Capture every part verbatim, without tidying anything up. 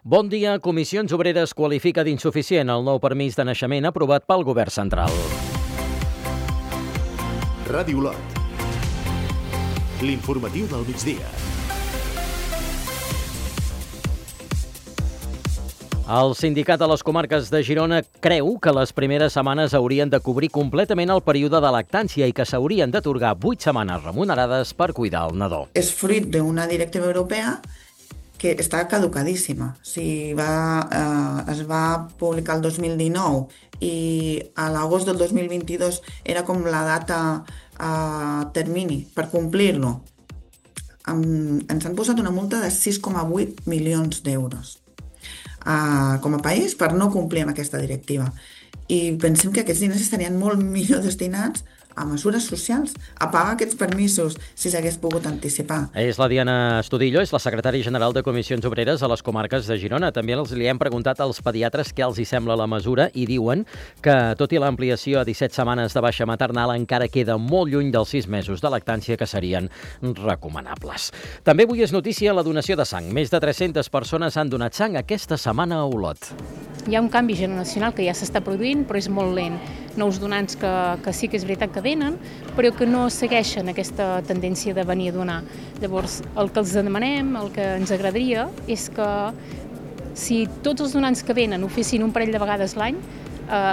Bon dia. Comissions Obreres qualifica d'insuficient el nou permís de naixement aprovat pel Govern central. Ràdio Olot. L'informatiu del migdia. El sindicat de les comarques de Girona creu que les primeres setmanes haurien de cobrir completament el període de lactància i que s'haurien d'atorgar vuit setmanes remunerades per cuidar el nadó. És fruit d'una directiva europea que està caducadíssima. O sigui, va, eh, es va publicar el dos mil dinou i a l'agost del dos mil vint-i-dos era com la data eh, termini per complir-lo. Um, ens han posat una multa de sis coma vuit milions d'euros uh, com a país per no complir amb aquesta directiva. I pensem que aquests diners estarien molt millor destinats a mesures socials, a pagar aquests permisos si s'hagués pogut anticipar. És la Diana Estudillo, és la secretària general de Comissions Obreres a les comarques de Girona. També els li hem preguntat als pediatres què els hi sembla la mesura i diuen que, tot i l'ampliació a disset setmanes de baixa maternal, encara queda molt lluny dels sis mesos de lactància que serien recomanables. També avui és notícia la donació de sang. Més de tres-centes persones han donat sang aquesta setmana a Olot. Hi ha un canvi generacional que ja s'està produint, però és molt lent. Nous donants que, que sí que és veritat que venen, però que no segueixen aquesta tendència de venir a donar. Llavors, el que els demanem, el que ens agradaria, és que si tots els donants que venen ho fessin un parell de vegades l'any, eh,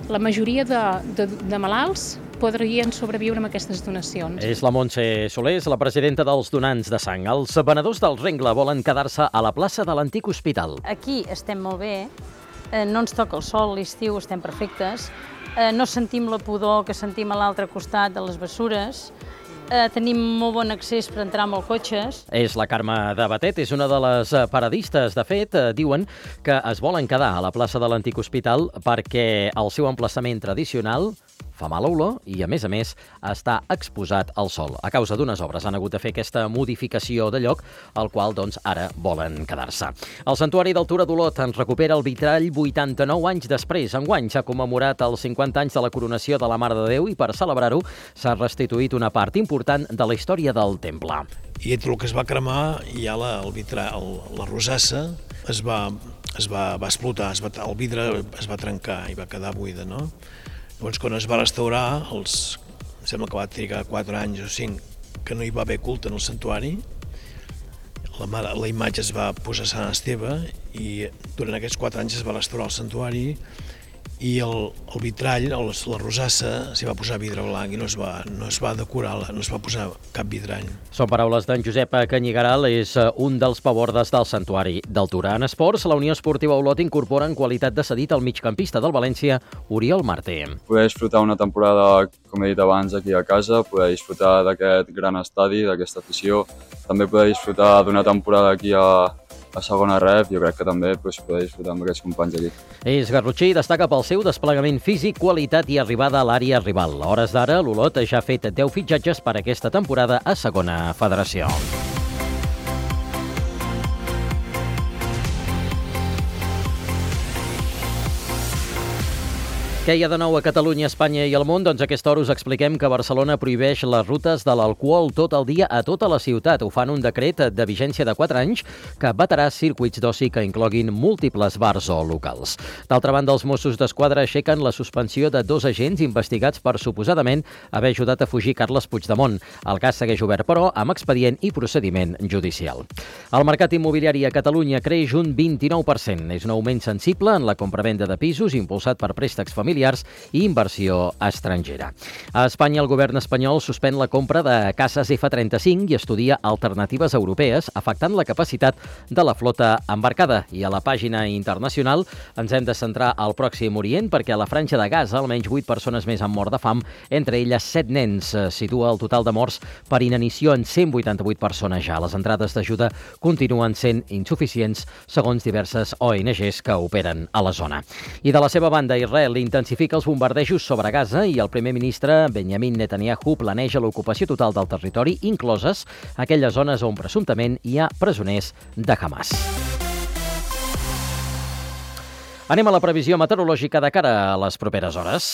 la majoria de, de, de malalts podrien sobreviure amb aquestes donacions. És la Montse Soler, la presidenta dels donants de sang. Els venedors del rengle volen quedar-se a la plaça de l'antic hospital. Aquí estem molt bé, eh, no ens toca el sol, l'estiu estem perfectes, eh, no sentim la pudor que sentim a l'altre costat de les bessures, eh, tenim molt bon accés per entrar amb els cotxes. És la Carme de Batet, és una de les paradistes. De fet, eh, diuen que es volen quedar a la plaça de l'antic hospital perquè el seu emplaçament tradicional fa mala olor i, a més a més, està exposat al sol. A causa d'unes obres han hagut de fer aquesta modificació de lloc, al qual, doncs, ara volen quedar-se. El Santuari del Tura d'Olot en recupera el vitrall vuitanta-nou anys després. Enguany s'ha commemorat els cinquanta anys de la coronació de la Mare de Déu i, per celebrar-ho, s'ha restituït una part important de la història del temple. I entre el que es va cremar, ja la, el vitrall, la rosassa es va, es va, va explotar, es va, el vidre es va trencar i va quedar buida, no? Llavors, quan es va restaurar, els, em sembla que va trigar quatre anys o cinc, que no hi va haver culte en el santuari, la, la imatge es va posar a Sant Esteve i durant aquests quatre anys es va restaurar el santuari i el, el vitrall, el, la rosassa, s'hi va posar vidre blanc i no es va, no es va decorar, no es va posar cap vidrall. Són paraules d'en Josep Canyigaral, és un dels pavordes del Santuari del Tura. En esports, la Unió Esportiva Olot incorpora en qualitat de cedit el migcampista del València, Oriol Martí. Poder disfrutar una temporada, com he dit abans, aquí a casa, poder disfrutar d'aquest gran estadi, d'aquesta afició, també poder disfrutar d'una temporada aquí a a segona ref, jo crec que també doncs, poder disfrutar amb aquests companys aquí. És garrotxí i destaca pel seu desplegament físic, qualitat i arribada a l'àrea rival. A hores d'ara, l'Olot ja ha fet deu fitxatges per aquesta temporada a segona federació. Què hi ha de nou a Catalunya, Espanya i el món? Doncs a aquesta hora us expliquem que Barcelona prohibeix les rutes de l'alcohol tot el dia a tota la ciutat. Ho fan un decret de vigència de quatre anys que vetarà circuits d'oci que incloguin múltiples bars o locals. D'altra banda, els Mossos d'Esquadra aixequen la suspensió de dos agents investigats per suposadament haver ajudat a fugir Carles Puigdemont. El cas segueix obert, però, amb expedient i procediment judicial. El mercat immobiliari a Catalunya creix un vint-i-nou per cent. És un augment sensible en la compravenda de pisos impulsat per préstecs familiars i inversió estrangera. A Espanya, el govern espanyol suspèn la compra de cases efa trenta-cinc i estudia alternatives europees, afectant la capacitat de la flota embarcada. I a la pàgina internacional ens hem de centrar al Pròxim Orient perquè a la Franja de Gaza almenys vuit persones més han mort de fam, entre elles set nens. Situa el total de morts per inanició en cent vuitanta-vuit persones ja. Les entrades d'ajuda continuen sent insuficients, segons diverses O N Ges que operen a la zona. I de la seva banda, Israel intensifica els bombardejos sobre Gaza i el primer ministre Benjamin Netanyahu planeja l'ocupació total del territori, incloses aquelles zones on presumptament hi ha presoners de Hamas. Anem a la previsió meteorològica de cara a les properes hores.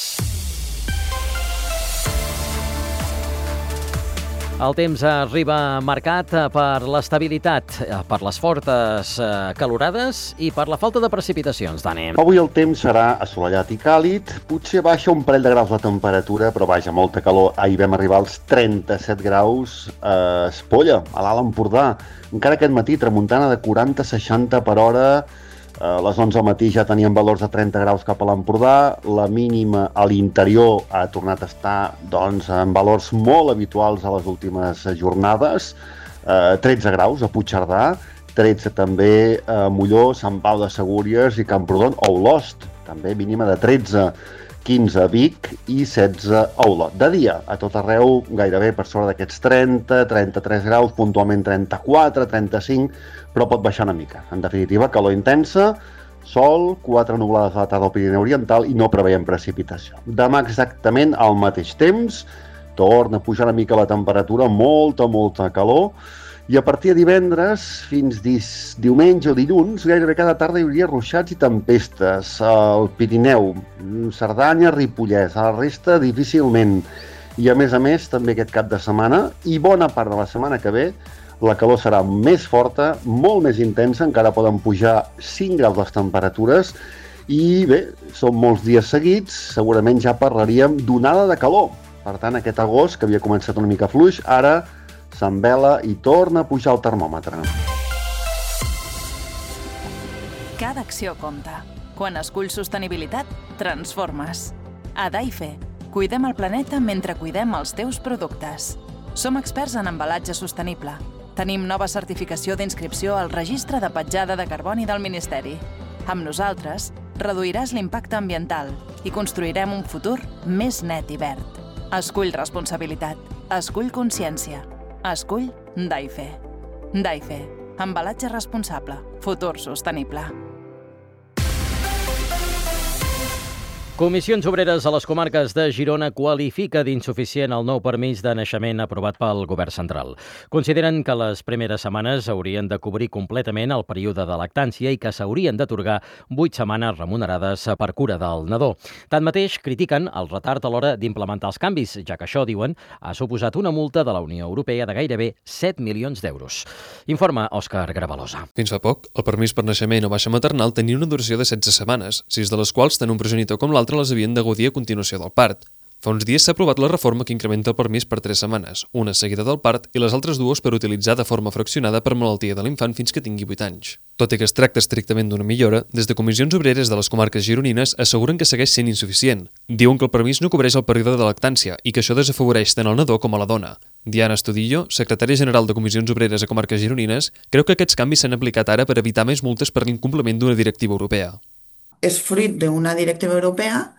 El temps arriba marcat per l'estabilitat, per les fortes calorades i per la falta de precipitacions, Dani. Avui el temps serà assolellat i càlid, potser baixa un parell de graus la temperatura, però vaja, molta calor. Ahir vam arribar als trenta-set graus a Espolla, a l'Alt Empordà. Encara aquest matí, tramuntana de quaranta a seixanta per hora. A les onze del matí ja teníem valors de trenta graus cap a l'Empordà, la mínima a l'interior ha tornat a estar doncs, en valors molt habituals a les últimes jornades, eh, tretze graus a Puigcerdà, tretze també a Molló, Sant Pau de Segúries i Camprodon, o Olost, també mínima de tretze, quinze a Vic i setze a Olot. De dia, a tot arreu, gairebé per sobre d'aquests trenta, trenta-tres graus, puntualment trenta-quatre, trenta-cinc, però pot baixar una mica. En definitiva, calor intensa, sol, quatre nublades a la tarda al Pirineu Oriental i no preveiem precipitació. Demà exactament al mateix temps, torna a pujar una mica la temperatura, molta, molta calor, i a partir de divendres fins dis, diumenge o dilluns, gairebé cada tarda hi hauria ruixats i tempestes. Al Pirineu, Cerdanya, Ripollès, a la resta difícilment. I a més a més, també aquest cap de setmana i bona part de la setmana que ve, la calor serà més forta, molt més intensa, encara poden pujar cinc graus les temperatures i bé, són molts dies seguits, segurament ja parlaríem d'onada de calor. Per tant, aquest agost, que havia començat una mica fluix, ara s'envela i torna a pujar el termòmetre. Cada acció compta. Quan esculls sostenibilitat, transformes. A Daife, cuidem el planeta mentre cuidem els teus productes. Som experts en embalatge sostenible. Tenim nova certificació d'inscripció al Registre de Petjada de Carboni del Ministeri. Amb nosaltres, reduiràs l'impacte ambiental i construirem un futur més net i verd. Escull responsabilitat. Escull consciència. Escull Daife. Daife. Embalatge responsable. Futur sostenible. Comissions Obreres a les comarques de Girona qualifica d'insuficient el nou permís de naixement aprovat pel Govern central. Consideren que les primeres setmanes haurien de cobrir completament el període de lactància i que s'haurien d'atorgar vuit setmanes remunerades per cura del nadó. Tanmateix, critiquen el retard a l'hora d'implementar els canvis, ja que això, diuen, ha suposat una multa de la Unió Europea de gairebé set milions d'euros. Informa Òscar Gravalosa. Fins fa poc, el permís per naixement o baixa maternal tenia una duració de setze setmanes, sis de les quals tant un progenitor com l'altre les havien de gaudir a continuació del part. Fa uns dies s'ha aprovat la reforma que incrementa el permís per tres setmanes, una seguida del part i les altres dues per utilitzar de forma fraccionada per malaltia de l'infant fins que tingui vuit anys. Tot i que es tracta estrictament d'una millora, des de Comissions Obreres de les comarques gironines asseguren que segueix sent insuficient. Diuen que el permís no cobreix el període de lactància i que això desafavoreix tant el nadó com a la dona. Diana Estudillo, secretària general de Comissions Obreres a comarques gironines, creu que aquests canvis s'han aplicat ara per evitar més multes per l'incompliment d'una directiva europea. És fruit d'una directiva europea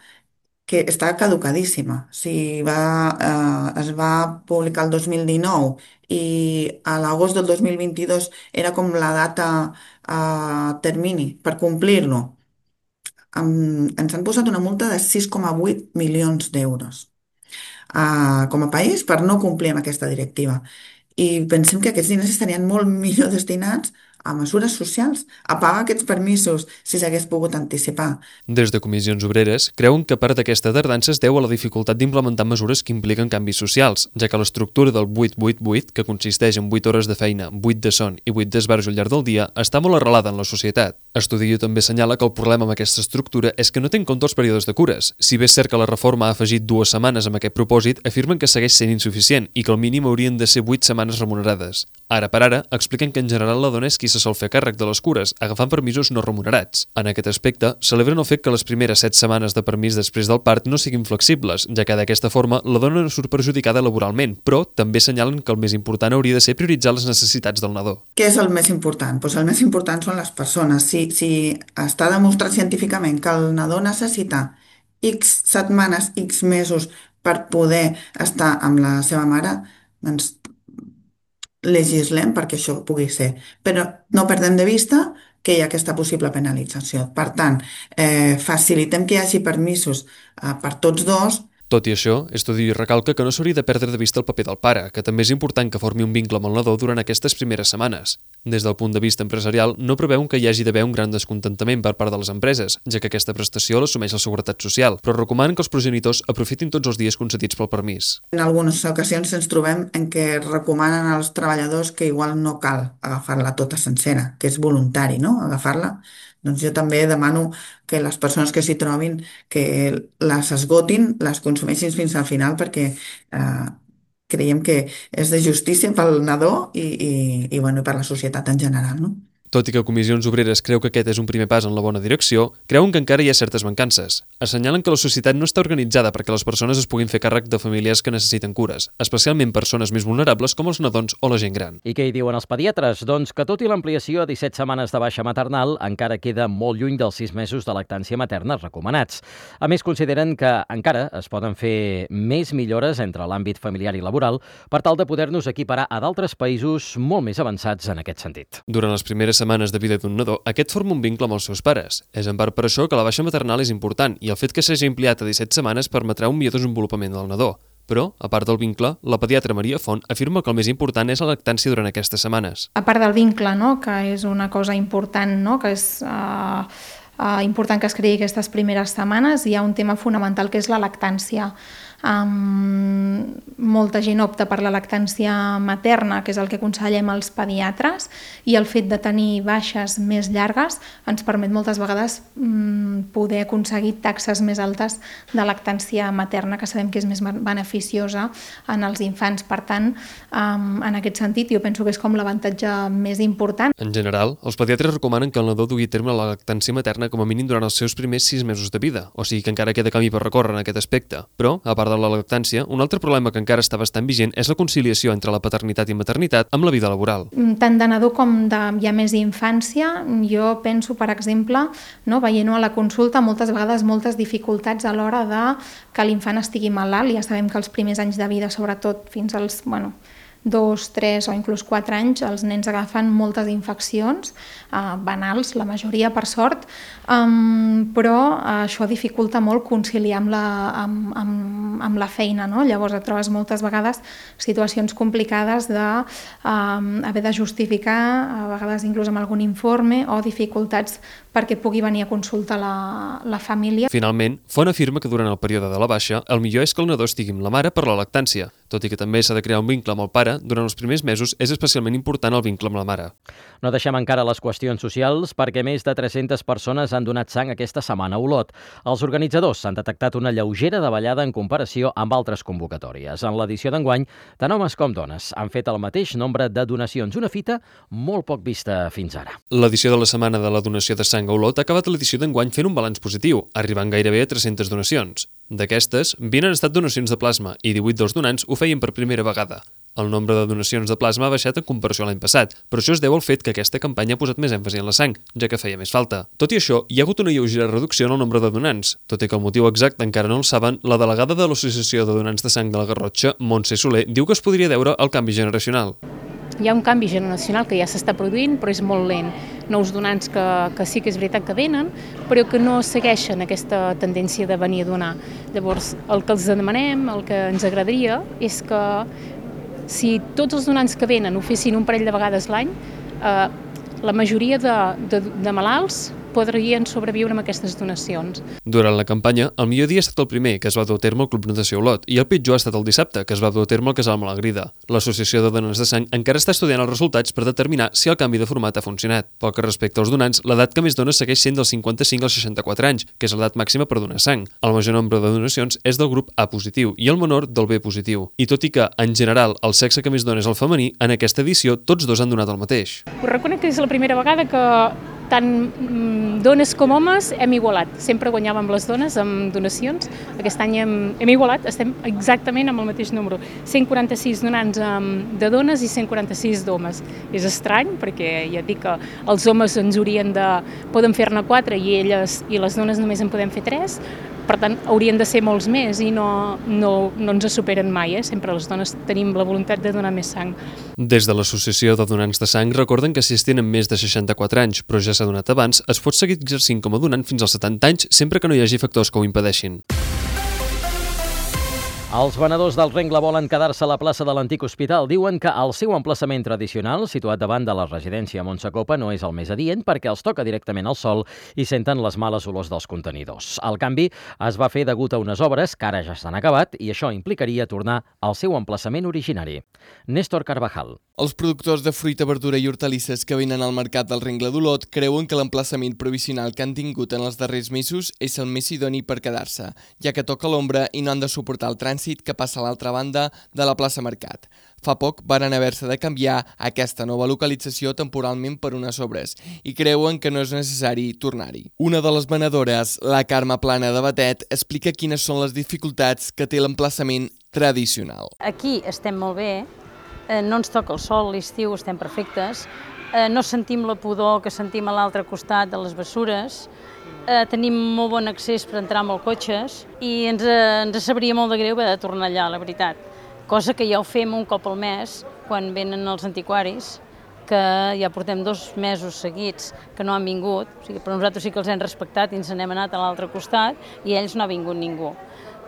que està caducadíssima. O sigui, va, eh, es va publicar el dos mil dinou i a l'agost del dos mil vint-i-dos era com la data eh, termini per complir-lo. Um, ens han posat una multa de sis coma vuit milions d'euros uh, com a país per no complir amb aquesta directiva. I pensem que aquests diners estarien molt millor destinats a mesures socials, a pagar aquests permisos si s'hagués pogut anticipar. Des de Comissions Obreres creuen que part d'aquesta tardança es deu a la dificultat d'implementar mesures que impliquen canvis socials, ja que l'estructura del vuit vuit vuit, que consisteix en vuit hores de feina, vuit de son i vuit d'esbarjo al llarg del dia, està molt arrelada en la societat. Estudillo també assenyala que el problema amb aquesta estructura és que no té en compte els períodes de cures. Si bé és cert que la reforma ha afegit dues setmanes amb aquest propòsit, afirmen que segueix sent insuficient i que al mínim haurien de ser vuit setmanes remunerades. Ara per ara, expliquen que en general la dona és qui se sol fer càrrec de les cures, agafant permisos no remunerats. En aquest aspecte, celebren el fet que les primeres set setmanes de permís després del part no siguin flexibles, ja que d'aquesta forma la dona no surt perjudicada laboralment, però també assenyalen que el més important hauria de ser prioritzar les necessitats del nadó. Què és el més important? Pues el més important són les persones. Si, si està demostrat científicament que el nadó necessita X setmanes, X mesos per poder estar amb la seva mare, doncs legislem perquè això pugui ser. Però no perdem de vista que hi ha aquesta possible penalització. Per tant, eh, facilitem que hi hagi permisos eh, per tots dos. Tot i això, Estudi recalca que no s'hauria de perdre de vista el paper del pare, que també és important que formi un vincle amb el nadó durant aquestes primeres setmanes. Des del punt de vista empresarial, no preveuen que hi hagi d'haver un gran descontentament per part de les empreses, ja que aquesta prestació l'assumeix la Seguretat Social, però recomanen que els progenitors aprofitin tots els dies concedits pel permís. En algunes ocasions ens trobem en què recomanen als treballadors que igual no cal agafar-la tota sencera, que és voluntari, no?, agafar-la. Doncs jo també demano que les persones que s'hi trobin que les esgotin, les consumeixin fins al final, perquè eh, creiem que és de justícia pel nadó i, i, i, bueno, per la societat en general, no? Tot i que Comissions Obreres creu que aquest és un primer pas en la bona direcció, creuen que encara hi ha certes mancances. Assenyalen que la societat no està organitzada perquè les persones es puguin fer càrrec de famílies que necessiten cures, especialment persones més vulnerables com els nadons o la gent gran. I què hi diuen els pediatres? Doncs que tot i l'ampliació a disset setmanes de baixa maternal, encara queda molt lluny dels sis mesos de lactància materna recomanats. A més, consideren que encara es poden fer més millores entre l'àmbit familiar i laboral per tal de poder-nos equiparar a d'altres països molt més avançats en aquest sentit. Durant les primeres setmanes de vida d'un nadó, aquest forma un vincle amb els seus pares. És en part per això que la baixa maternal és important i el fet que s'hagi ampliat a disset setmanes permetrà un millor desenvolupament del nadó. Però, a part del vincle, la pediatra Maria Font afirma que el més important és la lactància durant aquestes setmanes. A part del vincle, no?, que és una cosa important, no?, que és uh, uh, important que es creï aquestes primeres setmanes, hi ha un tema fonamental que és la lactància. Um, molta gent opta per la lactància materna, que és el que aconsellem als pediatres, i el fet de tenir baixes més llargues ens permet moltes vegades um, poder aconseguir taxes més altes de lactància materna, que sabem que és més beneficiosa en els infants. Per tant, um, en aquest sentit, jo penso que és com l'avantatge més important. En general, els pediatres recomanen que el nadó dugui a terme la lactància materna com a mínim durant els seus primers sis mesos de vida, o sigui que encara queda camí per recórrer en aquest aspecte. Però, a part de la lactància, un altre problema que encara està bastant vigent és la conciliació entre la paternitat i maternitat amb la vida laboral. Tant de nadó com de ja més infància, jo penso, per exemple, no, veient-ho a la consulta, moltes vegades moltes dificultats a l'hora de que l'infant estigui malalt. Ja sabem que els primers anys de vida, sobretot fins als, bueno, dos, tres o inclús quatre anys, els nens agafen moltes infeccions eh, banals, la majoria per sort, um, però eh, això dificulta molt conciliar amb la, amb, amb, amb la feina, no? Llavors et trobes moltes vegades situacions complicades de um, haver de justificar, a vegades inclús amb algun informe, o dificultats perquè pugui venir a consultar la, la família. Finalment, Font afirma que durant el període de la baixa el millor és que el nadó estigui amb la mare per la lactància, tot i que també s'ha de crear un vincle amb el pare. Durant els primers mesos és especialment important el vincle amb la mare. No deixem encara les qüestions socials perquè més de tres-centes persones han donat sang aquesta setmana a Olot. Els organitzadors han detectat una lleugera davallada en comparació amb altres convocatòries. En l'edició d'enguany, tant homes com dones han fet el mateix nombre de donacions, una fita molt poc vista fins ara. L'edició de la setmana de la donació de sang a Olot ha acabat l'edició d'enguany fent un balanç positiu, arribant gairebé a tres-centes donacions. D'aquestes, vint han estat donacions de plasma i divuit dels donants ho feien per primera vegada. El nombre de donacions de plasma ha baixat en comparació a l'any passat, però això es deu al fet que aquesta campanya ha posat més èmfasi en la sang, ja que feia més falta. Tot i això, hi ha hagut una lleugera reducció en el nombre de donants. Tot i que el motiu exacte encara no el saben, la delegada de l'Associació de Donants de Sang de la Garrotxa, Montse Soler, diu que es podria deure al canvi generacional. Hi ha un canvi generacional que ja s'està produint, però és molt lent. Nous donants que, que sí que és veritat que venen, però que no segueixen aquesta tendència de venir a donar. Llavors, el que els demanem, el que ens agradaria, és que si tots els donants que venen ho fessin un parell de vegades l'any, eh, la majoria de, de, de malalts podrien sobreviure amb aquestes donacions. Durant la campanya, el millor dia ha estat el primer, que es va dur a terme al Club Natació Olot, i el pitjor ha estat el dissabte, que es va dur a terme al Casal Malagrida. L'Associació de Donants de Sang encara està estudiant els resultats per determinar si el canvi de format ha funcionat. Pel que respecta als donants, l'edat que més dona segueix sent dels cinquanta-cinc als seixanta-quatre anys, que és l'edat màxima per donar sang. El major nombre de donacions és del grup A positiu i el menor del B positiu. I tot i que, en general, el sexe que més dona és el femení, en aquesta edició tots dos han donat el mateix. Us reconec que és la primera vegada que tant dones com homes hem igualat. Sempre guanyàvem les dones amb donacions. Aquest any hem, hem igualat, estem exactament amb el mateix número. cent quaranta-sis donants de dones i cent quaranta-sis d'homes. És estrany perquè ja dic que els homes ens haurien de... poden fer-ne quatre i elles i les dones només en podem fer tres. Per tant, haurien de ser molts més i no, no, no ens superen mai. Eh? Sempre les dones tenim la voluntat de donar més sang. Des de l'Associació de Donants de Sang recorden que si es tenen més de seixanta-quatre anys, però ja s'ha donat abans, es pot seguir exercint com a donant fins als setanta anys sempre que no hi hagi factors que ho impedeixin. Els venedors del rengle volen quedar-se a la plaça de l'antic hospital. Diuen que el seu emplaçament tradicional, situat davant de la residència Montsecopa, no és el més adient perquè els toca directament al sol i senten les males olors dels contenidors. El canvi es va fer degut a unes obres que ara ja s'han acabat i això implicaria tornar al seu emplaçament originari. Néstor Carvajal. Els productors de fruita, verdura i hortalisses que venen al mercat del rengle d'Olot creuen que l'emplaçament provisional que han tingut en els darrers mesos és el més idoni per quedar-se, ja que toca l'ombra i no han de suportar el trànsit que passa a l'altra banda de la plaça Mercat. Fa poc varen haver-se de canviar aquesta nova localització temporalment per unes obres i creuen que no és necessari tornar-hi. Una de les venedores, la Carme Plana de Batet, explica quines són les dificultats que té l'emplaçament tradicional. Aquí estem molt bé, no ens toca el sol, l'estiu estem perfectes, no sentim la pudor que sentim a l'altre costat de les bessures, Eh, tenim molt bon accés per entrar amb els cotxes i ens, eh, ens sabria molt de greu haver de tornar allà, la veritat. Cosa que ja ho fem un cop al mes, quan venen els antiquaris, que ja portem dos mesos seguits que no han vingut, o sigui, però nosaltres sí que els hem respectat i ens n'hem anat a l'altre costat i ells no ha vingut ningú.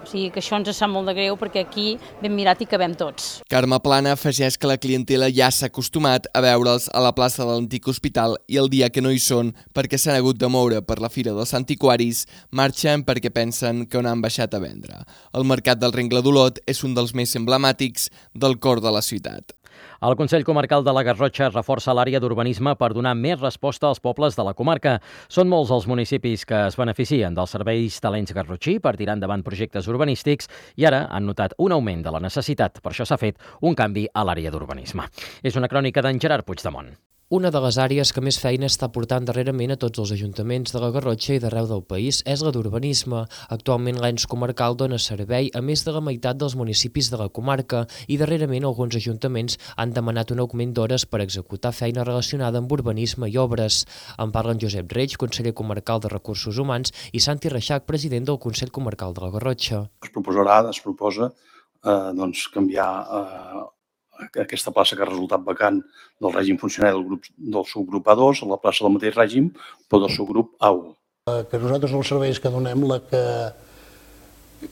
O sigui que això ens sap molt de greu perquè aquí ben mirat hi cabem tots. Carme Plana afegeix que la clientela ja s'ha acostumat a veure'ls a la plaça de l'antic hospital i el dia que no hi són perquè s'han hagut de moure per la Fira dels Antiquaris marxen perquè pensen que no han baixat a vendre. El mercat del rengle d'Olot és un dels més emblemàtics del cor de la ciutat. El Consell Comarcal de la Garrotxa reforça l'àrea d'urbanisme per donar més resposta als pobles de la comarca. Són molts els municipis que es beneficien dels serveis Talents Garrotxí per tirar endavant projectes urbanístics i ara han notat un augment de la necessitat. Per això s'ha fet un canvi a l'àrea d'urbanisme. És una crònica d'en Gerard Puigdemont. Una de les àrees que més feina està portant darrerament a tots els ajuntaments de la Garrotxa i d'arreu del país és la d'urbanisme. Actualment l'ens comarcal dona servei a més de la meitat dels municipis de la comarca i darrerament alguns ajuntaments han demanat un augment d'hores per executar feina relacionada amb urbanisme i obres. En parlen Josep Reig, conseller comarcal de Recursos Humans, i Santi Reixac, president del Consell Comarcal de la Garrotxa. Es proposarà, es proposa eh, doncs, canviar eh, aquesta plaça que ha resultat vacant del règim funcionari del, grup, del subgrup A dos a la plaça del mateix règim, però del subgrup A u. Que nosaltres els serveis que donem, la que,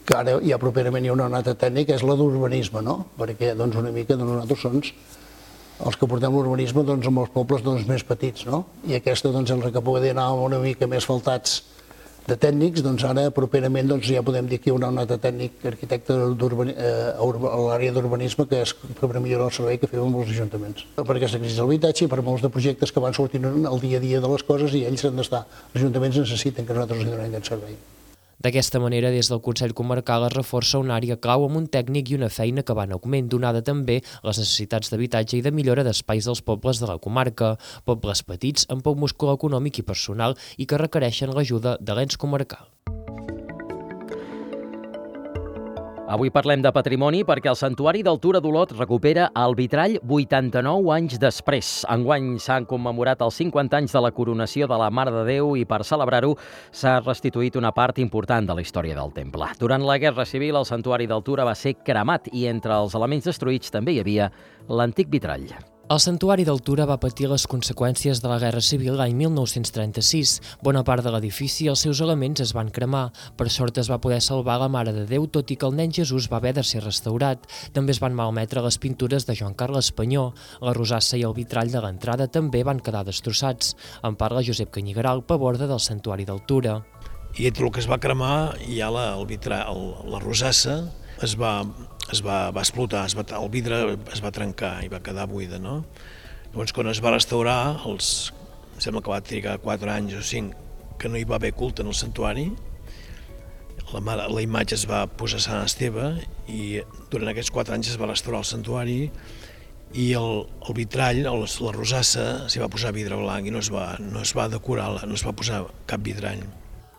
que ara ja properament hi ha una nota tècnica, és la d'urbanisme, no? Perquè doncs, una mica doncs, nosaltres som els que portem l'urbanisme doncs, amb els pobles doncs, més petits, no? I aquesta, doncs, els que poden anar una mica més faltats de tècnics, doncs ara properament doncs, ja podem dir que hi ha una nota tècnic arquitecte eh, a l'àrea d'urbanisme que és per millorar el servei que fem amb els ajuntaments. Perquè s'ha crisi l'habitatge i per molts de projectes que van sortint al dia a dia de les coses i ells han d'estar. Els ajuntaments necessiten que nosaltres els donem aquest servei. D'aquesta manera, des del Consell Comarcal es reforça una àrea clau amb un tècnic i una feina que va en augment, donada també les necessitats d'habitatge i de millora d'espais dels pobles de la comarca, pobles petits amb poc múscul econòmic i personal i que requereixen l'ajuda de l'ens comarcal. Avui parlem de patrimoni perquè el Santuari del Tura d'Olot recupera el vitrall vuitanta-nou anys després. Enguany s'han commemorat els cinquanta anys de la coronació de la Mare de Déu i per celebrar-ho s'ha restituït una part important de la història del temple. Durant la Guerra Civil el Santuari del Tura va ser cremat i entre els elements destruïts també hi havia l'antic vitrall. El Santuari del Tura va patir les conseqüències de la Guerra Civil l'any mil nou-cents trenta-sis. Bona part de l'edifici i els seus elements es van cremar. Per sort es va poder salvar la Mare de Déu, tot i que el nen Jesús va haver de ser restaurat. També es van malmetre les pintures de Joan Carles Panyó. La rosassa i el vitrall de l'entrada també van quedar destrossats. En parla Josep Canyigaral, paborda del Santuari del Tura. I entre el que es va cremar hi ha la, el vitrall, la rosassa, es va, es va, va explotar, es va, el vidre es va trencar i va quedar buida, no? Llavors, quan es va restaurar, els, sembla que va trigar quatre anys o cinc, que no hi va haver culte en el santuari, la, la imatge es va posar a Sant Esteve i durant aquests quatre anys es va restaurar el santuari i el, el vitrall, el, la rosassa, s'hi va posar vidre blanc i no es va, no es va decorar, no es va posar cap vidrall.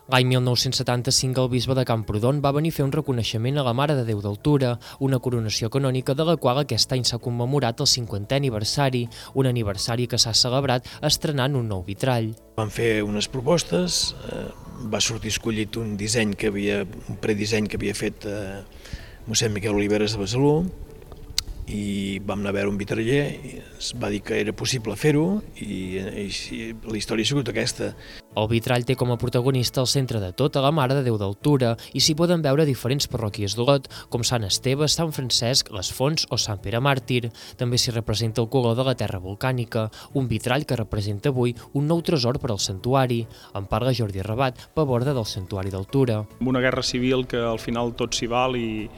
L'any mil nou-cents setanta-cinc el bisbe de Camprodon va venir a fer un reconeixement a la Mare de Déu del Tura, una coronació canònica de la qual aquest any s'ha commemorat el cinquantè aniversari, un aniversari que s'ha celebrat estrenant un nou vitrall. Van fer unes propostes, eh, va sortir escollit un disseny que havia, un predisseny que havia fet eh, mossèn Miquel Oliveres de Besalú i vam anar a veure un vitraller, i es va dir que era possible fer-ho i, i, i la història ha sigut aquesta. El vitrall té com a protagonista el centre de tota la Mare de Déu d'Altura i s'hi poden veure diferents parròquies d'Olot, com Sant Esteve, Sant Francesc, les Fonts o Sant Pere Màrtir. També s'hi representa el color de la terra volcànica, un vitrall que representa avui un nou tresor per al santuari. En parla Jordi Rabat, paborda del santuari d'Altura. Una guerra civil que al final tot s'hi val i,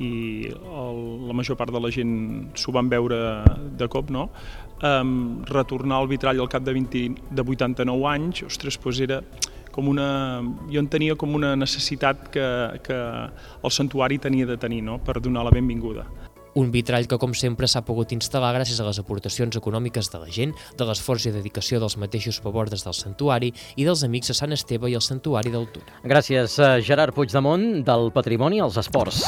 i el, la major part de la gent s'ho van veure de cop, no? Um, retornar el vitrall al cap de, vint, de vuitanta-nou anys, ostres, doncs era com una... Jo en tenia com una necessitat que, que el santuari tenia de tenir, no?, per donar la benvinguda. Un vitrall que, com sempre, s'ha pogut instal·lar gràcies a les aportacions econòmiques de la gent, de l'esforç i dedicació dels mateixos pabordes del santuari i dels amics de Sant Esteve i el santuari d'Altura. Gràcies, Gerard Puigdemont, del Patrimoni als Esports.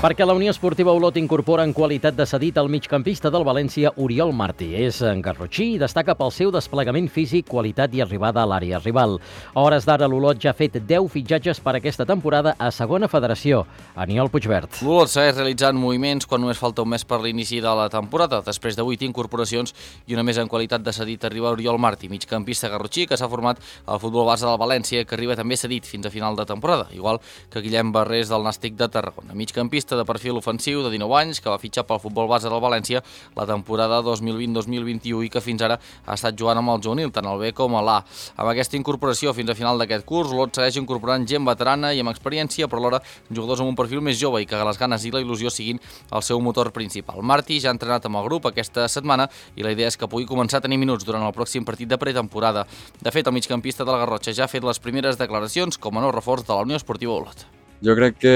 Perquè la Unió Esportiva Olot incorpora en qualitat de cedit el migcampista del València, Oriol Martí. És garrotxí i destaca pel seu desplegament físic, qualitat i arribada a l'àrea rival. A hores d'ara, l'Olot ja ha fet deu fitxatges per aquesta temporada a segona federació. Aniol Puigvert. L'Olot segueix realitzant moviments quan només falta un mes per l'inici de la temporada. Després de vuit incorporacions i una més en qualitat de cedit arriba Oriol Martí, migcampista garrotxí que s'ha format al futbol base del València, que arriba també cedit fins a final de temporada, igual que Guillem Barrés del Nàstic de Tarragona. Migcampista de perfil ofensiu de dinou anys, que va fitxar pel futbol base del València la temporada dos mil vint dos mil vint-i-u i que fins ara ha estat jugant amb el juvenil, tant el B com l'A. Amb aquesta incorporació fins a final d'aquest curs, l'Olot segueix incorporant gent veterana i amb experiència, però alhora jugadors amb un perfil més jove i que les ganes i la il·lusió siguin el seu motor principal. Martí ja ha entrenat amb el grup aquesta setmana i la idea és que pugui començar a tenir minuts durant el pròxim partit de pretemporada. De fet, el migcampista del Garrotxa ja ha fet les primeres declaracions com a nou reforç de la Unió Esportiva Olot. Jo crec que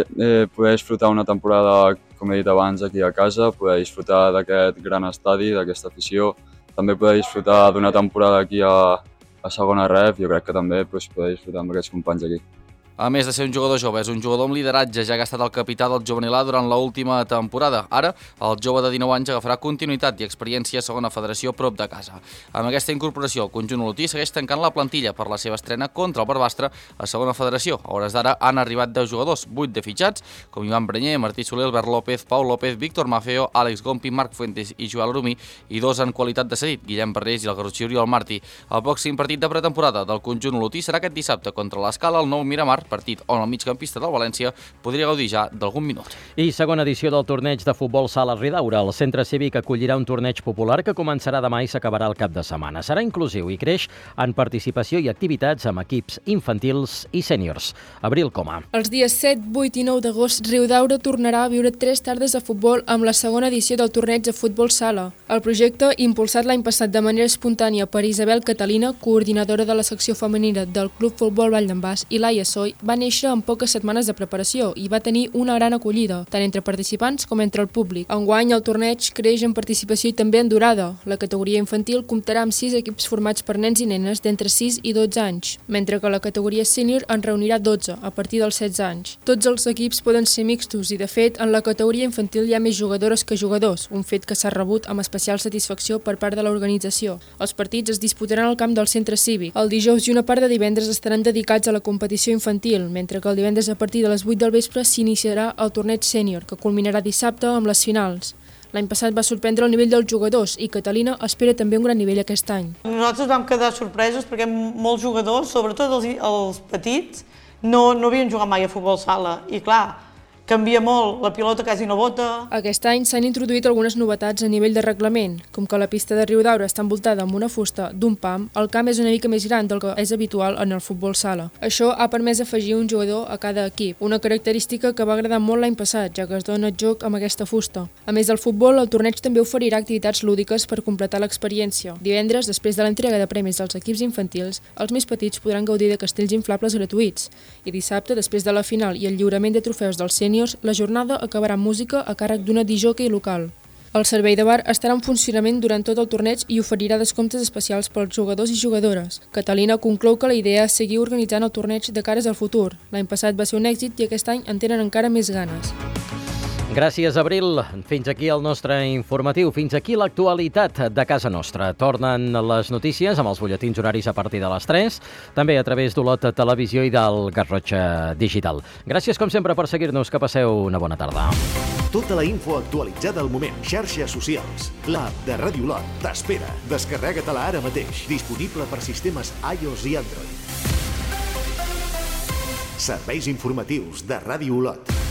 eh, poder disfrutar una temporada, com he dit abans, aquí a casa, poder disfrutar d'aquest gran estadi, d'aquesta afició, també poder disfrutar d'una temporada aquí a, a segona ref, jo crec que també pues, poder disfrutar amb aquests companys aquí. A més de ser un jugador jove, és un jugador amb lideratge, ja que ha estat el capità del juvenil A durant l'última temporada. Ara, el jove de dinou anys agafarà continuïtat i experiència a segona federació prop de casa. Amb aquesta incorporació, el conjunt olotí segueix tancant la plantilla per la seva estrena contra el Barbastre a segona federació. A hores d'ara han arribat deu jugadors, vuit de fitxats, com Ivan Brenyer, Martí Soler, Albert López, Pau López, Víctor Mafeo, Àlex Gompi, Marc Fuentes i Joel Arumí, i dos en qualitat de cedit, Guillem Barrés i el garrotxí Oriol Martí. El pròxim partit de pretemporada del conjunt olotí serà aquest dissabte contra l'Escala al Nou Miramar, partit on el migcampista del València podria gaudir ja d'algun minut. I segona edició del torneig de futbol sala Ridaura. El centre cívic acollirà un torneig popular que començarà demà i s'acabarà el cap de setmana. Serà inclusiu i creix en participació i activitats amb equips infantils i sèniors. Abril Coma. Els dies set, vuit i nou d'agost, Riudaura tornarà a viure tres tardes de futbol amb la segona edició del torneig de futbol sala. El projecte, impulsat l'any passat de manera espontània per Isabel Catalina, coordinadora de la secció femenina del Club Futbol Vall d'en Bas, i Laia Soy, va néixer en poques setmanes de preparació i va tenir una gran acollida, tant entre participants com entre el públic. Enguany, el torneig creix en participació i també en durada. La categoria infantil comptarà amb sis equips formats per nens i nenes d'entre sis i dotze anys, mentre que la categoria sènior en reunirà dotze, a partir dels setze anys. Tots els equips poden ser mixtos i, de fet, en la categoria infantil hi ha més jugadores que jugadors, un fet que s'ha rebut amb especial satisfacció per part de l'organització. Els partits es disputaran al camp del centre cívic. El dijous i una part de divendres estaran dedicats a la competició infantil, mentre que el divendres a partir de les vuit del vespre s'iniciarà el torneig sènior, que culminarà dissabte amb les finals. L'any passat va sorprendre el nivell dels jugadors i Catalina espera també un gran nivell aquest any. Nosaltres vam quedar sorpresos perquè molts jugadors, sobretot els, els petits, no, no havien jugat mai a futbol sala i clar, canvia molt, la pilota quasi no bota. Aquest any s'han introduït algunes novetats a nivell de reglament, com que la pista de Riudaura està envoltada amb una fusta d'un pam, el camp és una mica més gran del que és habitual en el futbol sala. Això ha permès afegir un jugador a cada equip, una característica que va agradar molt l'any passat, ja que es dona joc amb aquesta fusta. A més del futbol, el torneig també oferirà activitats lúdiques per completar l'experiència. Divendres, després de l'entrega de premis dels equips infantils, els més petits podran gaudir de castells inflables gratuïts. I dissabte, després de la final i el lliurament de trofeus dels sèniors, la jornada acabarà amb música a càrrec d'una disjòquei local. El servei de bar estarà en funcionament durant tot el torneig i oferirà descomptes especials pels jugadors i jugadores. Catalina conclou que la idea és seguir organitzant el torneig de cares al futur. L'any passat va ser un èxit i aquest any en tenen encara més ganes. Gràcies, Abril. Fins aquí el nostre informatiu. Fins aquí l'actualitat de casa nostra. Tornen les notícies amb els butlletins horaris a partir de les tres, també a través d'Olot Televisió i del Garrotxa Digital. Gràcies, com sempre, per seguir-nos. Que passeu una bona tarda. Tota la info actualitzada al moment. Xarxes socials. L'app de Ràdio Olot t'espera. Descarrega-te-la ara mateix. Disponible per sistemes iOS i Android. Serveis informatius de Ràdio Olot.